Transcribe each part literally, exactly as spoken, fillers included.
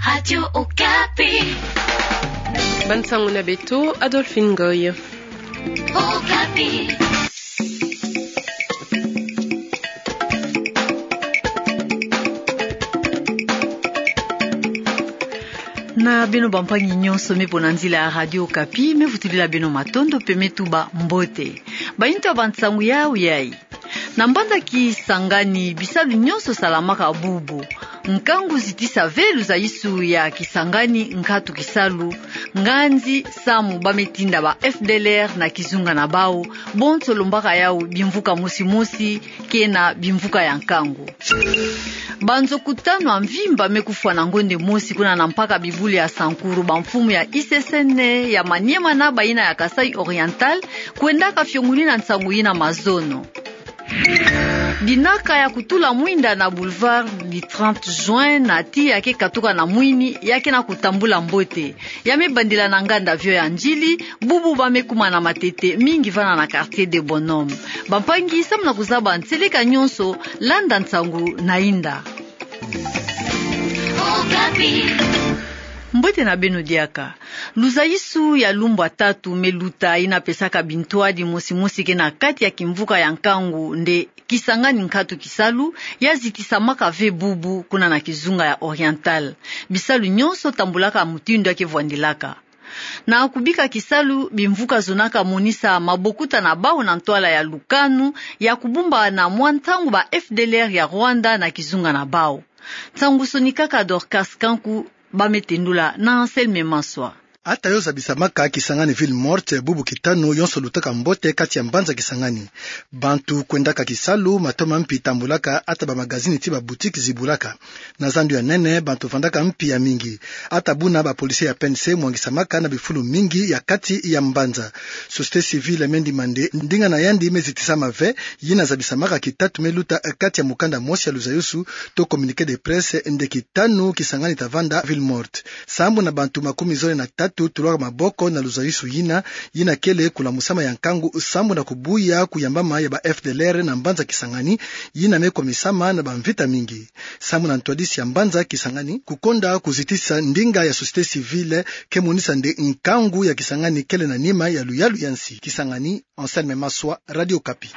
Radio Okapi. Bansangu na beto, Adolphine Ngoy. Okapi. Na beno bampangi nyonso me pona nzila ya Radio Okapi, me vutulila beno matondo pe me tuba mbote. Bayintu ya bansangu yau yai. Na mbanza Kisangani, bisalu nyonso salamaka bubu. Nkangu zitisa ve luzaisu ya Kisangani nkatu kisalu, nganzi samu ba me tinda ba F D L R na kizunga na bau, bonso lombaka yau bimvuka mosi mosi, ke na bimvuka ya nkangu. Banzoku tanu ya mvimba me kufwa na ngonde mosi kuna na mpaka bibulu ya Sankuru, bamfumu ya I C C N ya Maniema na bayina ya Kasaï Oriental, kwendaka fiongolina nsangu yina mazono. Dinaka ya kutula mwinda na boulevard du trente juin na tiya ke katuka na mwini, ya ke na kutambula mbote. Ya me bandila na nganda Vieux ya Ndjili, bubu ba me kuma na matete mingi vana na quartier des Bonhommes. Bampangi, samu na kuzaba nseleka nyonso, landa nsangu na inda. Mbote na beno diaka. Luzaisu ya lumbu ya tatu me luta, yina pesaka bintwadi mosi mosi ke na kati ya kimvuka ya nkangu nde Kisangani nkatu kisalu, ya zitisamaka ve bubu kuna na kizunga ya Oriental. Bisalu nyonso tambulaka mutindu ya ke vwandilaka. Na kubika kisalu, bimvuka zonaka monisa mabokuta na bau na ntwala ya lukanu ya kubumba na mwa ntangu ba F D L R ya Rwanda na kizunga na bau. Nsangu sonikaka Dorcas Kanku, ba me tendula na Anselme Maswa. Ata yo zabisamaka Kisangani ville morte bubu kitanu, yonso lutaka mbote kati ya mbanza Kisangani. Bantu kwendaka kisalu, matoma mpi tambulaka, ata ba magazini ti ba boutique zibulaka. Na zandu ya nene, bantu vandaka mpi ya mingi. Ata buna ba policiers ya P N C mwangisamaka na bifulu mingi ya kati ya mbanza. Société civile me ndima nde ndinga na yandi me zitisama ve, yina zabisamaka kitatu me luta kati ya mukanda mosi ya luzaisu to communiqué de presse nde kitanu Kisangani ta vanda ville morte. Sambu na bantu makumi zole na tatu tulwaka maboko na luzaisu yina, yina kele kulamusama ya nkangu sambu na kubuya kuyambama ya ba F D L R na mbanza Kisangani, yina me kwamisama na bamvita mingi. Sambu na ntwadisi ya mbanza Kisangani, kukonda kuzitisa ndinga ya société civile ke monisa nde nkangu ya Kisangani kele na nima ya luyalu ya nsi. Kisangani, Anselme Maswa, Radio Okapi.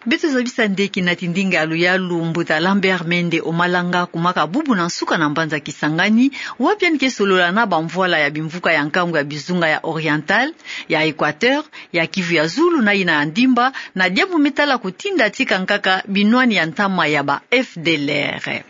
Beto zabisa nde kinati ndinga ya luyalu, mbuta Lambert Mende Omalanga, kumaka bubu na nsuka na mbanza Kisangani, wapi yandi ke solola na bamvwala ya bimvuka ya nkangu ya bizunga ya Oriental, ya Equateur, ya Kivu ya Zulu na yina ya Ndimba, na diambu me tala kutinda tika nkaka binwani ya ntama ya ba F D L R.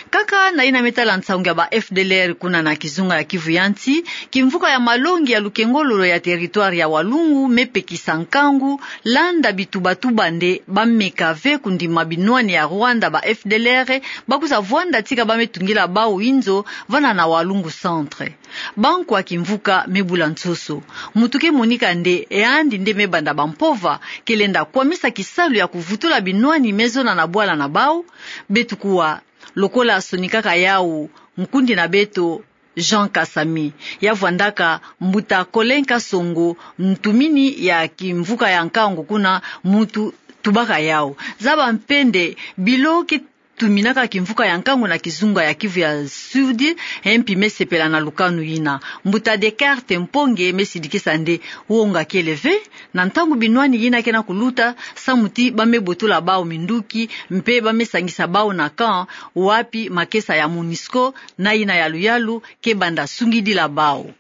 Kaka na yina me tala nsangu ya ba F D L R kuna na kizunga ya Kivu ya Nsi, kimvuka ya malongi ya lukengololo ya territoire ya Walungu me pekisa nkangu, landa bitubatuba nde ba meka ve kundima binwani ya Rwanda ba F D L R, ba kwiza vwanda tika ba me tungila bau inzo vana na Walungu Centre. Bankwa kimvuka me bula nsoso. Muntu ke monika nde yandi nde me banda bampova, ke lenda kwamisa kisalu ya kuvutula binwani me zona na bwala na bau. Beto kuwa, lokola asonikaka yau nkundi na beto Jean Kasami, ya vwandaka mbuta Colin Kasongo, ntumini ya kimvuka ya nkangu kuna, muntu tubaka yau. Zaba mpe nde bilo ke tuminaka kimvuka ya nkangu na kizunga ya Kivu ya Sud, e mpi me sepela na lukanu yina. Mbuta Descartes Mponge me sidikisa nde wonga kele ve, na ntangu binwani yina ke na kuluta, samu ti ba me botola bau minduki, mpe ba me sangisa bau na camp, wapi makesa ya MONUSCO na yina ya luyalu ke banda sungidila bau.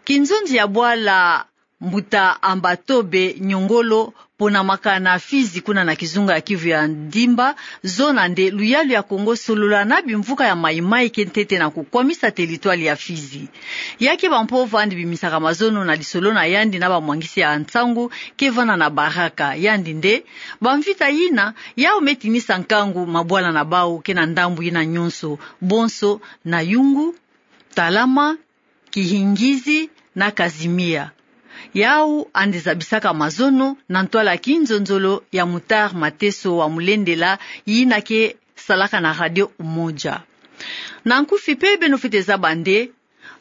Kinzonzi ya bwala, mbuta Ambatobe Nyongolo, ponamaka na Fizi kuna na kizunga ya Kivu ya Ndimba, zona nde luyalu ya Kongo solola na bimvuka ya Maï-Maï ke ntete na kukwamisa territoire ya Fizi. Ya ke bampova nde bimisaka mazono na lisolo na yandi na bamwangisi ya nsangu ke vana na Baraka. Yandi nde, bamvita yina, yau me tinisa nkangu mabwala na bau ke na ndambu yina nyonso, bonso na Yungu, Talama, Kihingizi na Kazimia. Yau yandi zabisaka mazono na ntwala kinzonzolo ya Moutar Mateso wa Mulendela, yina ke salaka na Radio Umoja. Na nkufi mpe beno fwete zaba nde,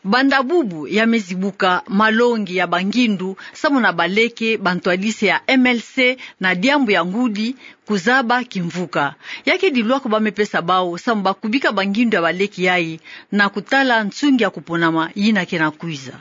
Banda bubu ya me zibuka malongi ya bangindu samu na baleke bantwadisi ya M L C na diambu ya ngudi kuzaba kimvuka. Ya kedi lwaku ba me pesa bau samu ba kubika bangindu ya baleke yayi na kutala nsungi ya kuponama yina ke na kwiza.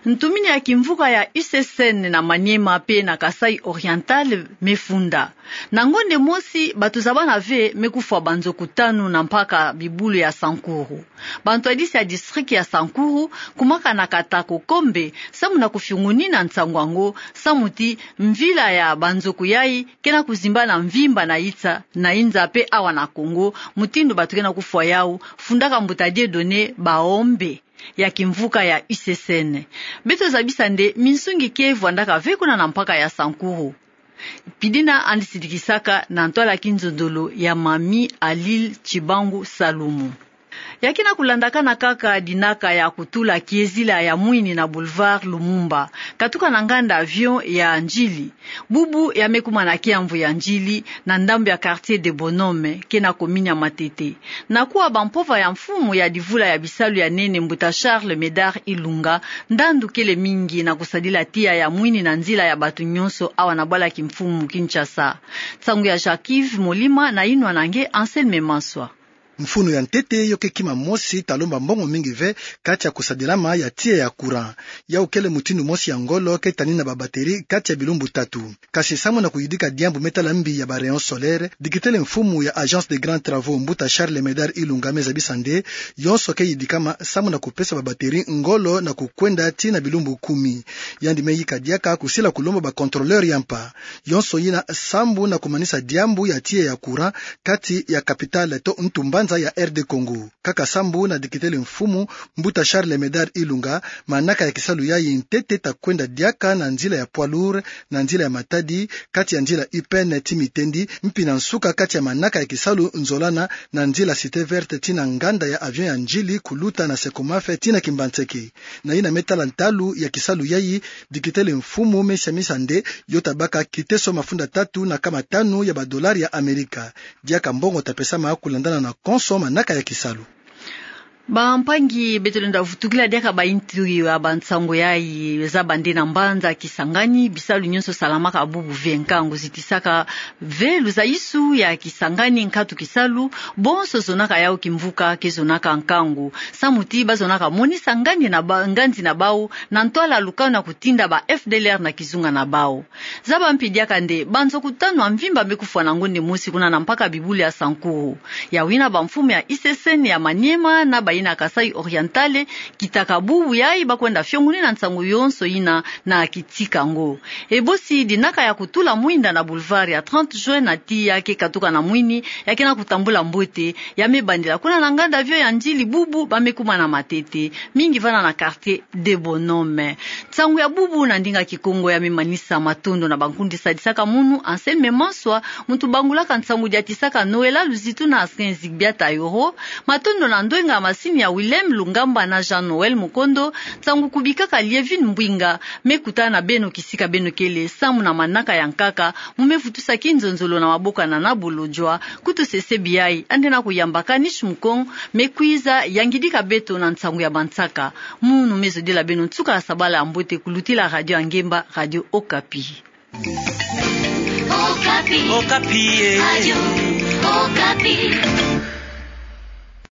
Ntumini ya kimvuka ya U C C N na Maniema pe na Kasaï Oriental me funda. Na ngonde mosi, bato za bana ve me kufwa banzoku tanu na mpaka bibulu ya Sankuru. Bantwadisi ya district ya Sankuru kumaka na kata kokombe samu na kufiungunina nsangu yango, samu ti mvila ya banzoku yayi ke na kuzimbana mvimba na ita na inza pe awa na Kongo, mutindu bato ke na kufwa yau, fundaka mbuta Dieudonné Baombe ya kimvuka ya U C C N. Beto zabisa nde minsungi ke vwandaka ve kuna na mpaka ya Sankuru. Pidina andi sidikisaka na ntwala kinzonzolo ya Mami Alil Chibangu Salumu. Ya ke na kulandakana kaka dinaka ya kutula kiezila ya mwini na boulevard Lumumba, katuka na nganda avion ya Ndjili. Bubu ya me kuma na kiamvu ya Ndjili, na ndambu ya quartier des Bonhommes, ke na commune ya Matete. Na kuwa bampova ya mfumu ya divula ya bisalu ya nene, mbuta Charles Médard Ilunga, ndandu kele mingi na kusadila tiya ya mwini na nzila ya bato nyonso awa na bwala kimfumu Kinshasa. Nsangu ya Jacques-Yves Molima na yinwa na nge Anselme Maswa. Mfunu ya ntete yo ke kima mosi ta lomba mbongo mingi ve kati ya kusadilama ya tiya ya courant. Yau kele mutindu mosi ya ngolo ke tanina ba batterie kati ya bilumbu tatu. Kasi samu na kuyidika diambu me tala mbi ya ba rayons solaires, dikitele mfumu ya Agence des Grands Travaux, mbuta Charles Médard Ilunga, me zabisa nde yonso ke yidikama samu na kupesa ba batterie ngolo na kukwenda tii na bilumbu kumi. Yandi me yika diaka kusila kulomba ba contrôleur ya mpa. Yonso yina sambu na kumanisa diambu ya tiya ya courant kati ya capitale to ntu mbanza ya R D Congo. Kaka sambu na dikitele mfumu, mbuta Charles Médard Ilunga, manaka ya kisalu yayi ntete ta kwenda diaka na nzila ya poids lourd, na nzila ya Matadi, kati ya nzila U P N tii Mitendi, mpi na nsuka kati ya manaka ya kisalu nzolana na nzila Cité Verte tii na nganda ya avion ya Ndjili kuluta na Secomaf tii na Kimbanseke. Na yina me tala ntalu ya kisalu yayi, dikitele mfumu me siamisa nde yo ta baka kiteso mafunda tatu na kama tanu ya ba dollars ya Amerika. Diaka mbongo ta pesama kulandana na konso manaka ya kisalu. Bampangi, beto lenda vutukila diaka bayintu ya bansangu yayi. Zaba nde na mbanza Kisangani, bisalu nyonso salamaka bubu ve, nkangu zitisaka ve luzaisu ya Kisangani, nkatu kisalu, bonso zonaka yau kimvuka ke zonaka nkangu. Samu ti ba zonaka monisa nganzi na ba-, nganzi na bau, na ntwala lukanu ya kutinda ba F D L R na kizunga na bau. Zaba mpi diaka nde banzoku tanu ya mvimba me kufwa na ngonde mosi kuna na mpaka bibulu ya Sankuru. Yau yina bamfumu ya U C C N ya Maniema na bayina Kasaï Oriental, kitaka bubu yayi ba kwenda fiongunina nsangu yonso yina na kitika ngo. Ebosi dinaka ya kutula mwinda na boulevard ya trente juin na tiya ke katuka na mwini, ya ke na kutambula mbote, ya me bandila kuna na nganda avion ya Ndjili bubu ba me kuma na Matete, mingi vana na quartier des Bonhommes. Nsangu ya bubu na ndinga Kikongo ya me manisa. Matondo na bankundi sadisaka munu, Anselme Maswa, muntu bangulaka nsangu, diatisaka Noëlla Luzitu na Askin Zigbia Tayoro. Matondo na ndwenga masini ya Willem Lungamba na Jean Noël Mukondo. Nsangu kubikaka Lievine Mbwinga, me kutana na beno kisika beno kele, samu na manaka ya nkaka mu me vutusa kinzonzolo na maboko ya Nana Bolodjwa. Kutu sesebi yayi, andi na kuyamba Kanish Mukong, me kwiza yangidika beto na nsangu ya bansaka. Munu me zodila beno nsuka ya sabala ya mbote kulutila radio ya ngemba, Radio Okapi. Okapi. Okapi, eh. Radio Okapi.